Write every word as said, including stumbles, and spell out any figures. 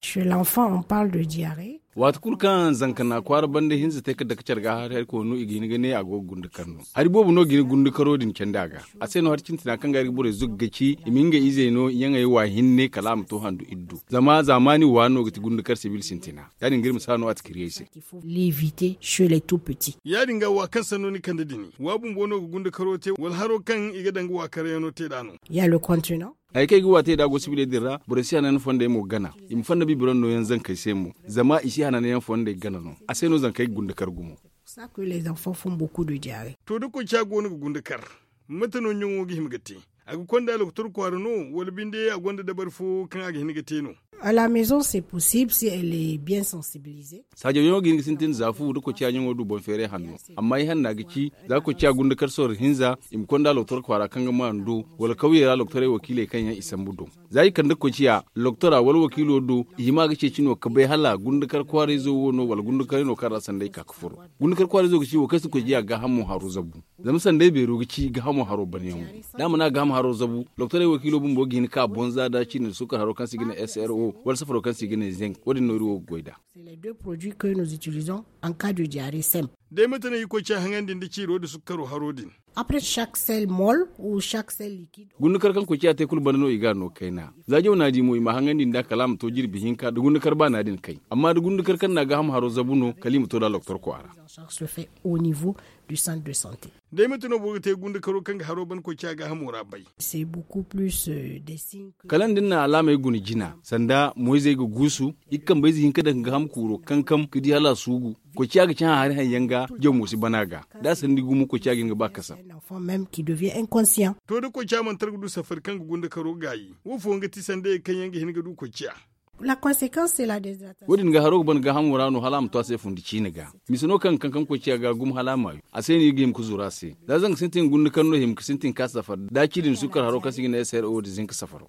Chez l'enfant, on parle de diarrhée. Waati kulu kaŋ zanka na kwaara banda hinza te ka dake care ga hari hari koonu i ga hin ga ne a go ga gundakar no. Hari boobo no ga hin gundakaro din candi a ga. A se no hari cintina kaŋ ga hari ga borey zugga ci i ma nga izey no yaŋey wa hinne kala a ma to handu iddu zama zaamaani wa no ga ti gundakar sibil sintina. Ya- din ga iri ma si hano a ti kiri ay se. Ya- din ga wa kaŋ sanno ni kande dini wa bumbo no ga gundakaro te wala haro kaŋ i ga daŋ ga wa karayaŋo te nd'a no. Hari kaŋ i ga wa te nd'a go sibiley din ra borey si hananyaŋ fondey mo gana. I ma fonda bibiraŋ nooyaŋ zankey se mo zama i si hananyaŋ fondey gana no. A se no zankey ga gundakar gumo. To da koociya go no ga gundakar, mate no ɲaŋo ga hima ga te? A ga konda doktor kwaara no wala binde a gonda dabari fo kaŋ a ga hin ga te no? Saajaw yaŋo ga hin ga sintin za fu da koociya ɲaŋo du boŋ feeray hanno. Amma i hanna ga ci za koociya gundakar sorro hinza i ma konda doktor kwaara kaŋ ga maan do wala kawyey ra doktorey wakiiley kaŋ yaŋ i sambu do. Za i kande koociya doktora wala wakiilo do, i hima ga ceeci no ga bay hala gundakar kwaarayzo wo no wala gundakaray no kaŋ ra sanday ka ga furo. Gundakar kwaarayzo ga ci wo kaŋ si koociya gaahamo haro zabu. Zama sanday beero ga ci gaahamo haro banyaŋo. Da a mana gaahamo haro zabu, doktorey wakiilo bumbo ga hin ka boŋ za da cindi nda sukkar haro kaŋ se i ga ne sro wala safaro kaŋ se i ga ne zinc. Wo- din no iri wo ga goy nd'a. Day mate no i ga koociya haŋandi nda ciiro nda sukkaro haro din? Gundakar kaŋ koociya te kulu banda no i ga a no kayna. Za jaw na a di mo i ma a haŋandi nd'a kala a ma to jirbi hinka da gundakar baana din kay. Amma da gundakar kaŋ na a gaahamo haro zabu no kala i ma to nd'a doktor kwaara. Day mate no boro ga te gundakaro kaŋ ga haro ban koociya gaahamo ra bay? Kala ni da ni na alaamey guna jina sanda moyzey ga guusu, i ga kambayze hinka daŋ ga gaaham kuuro kankam ga di hala a suugu. Koociya ga cahã hari haŋ yaŋ ga jaw mo si ban a ga. Da a sandi gumo koociya ga hin ga ba kasam. To da koociya mana tara ga du safari kaŋ ga gundakaro gaayi, wo fooyaŋ ga ti sandayey kaŋ yaŋ ga hin ga du koociya? Wo- din ga haro ga ban gaahamo ra no hala a ma to a se fundi ciine ga. Mise no kaŋ ga kankam koociya ga gumo hala a maayu. A se no i ga hima ga zuru a se. Za zanka sintin gundakar no hima ga sintin ka safar da cindi nda sukkar haro kaŋ se i ga ne sro nda zinka safaro.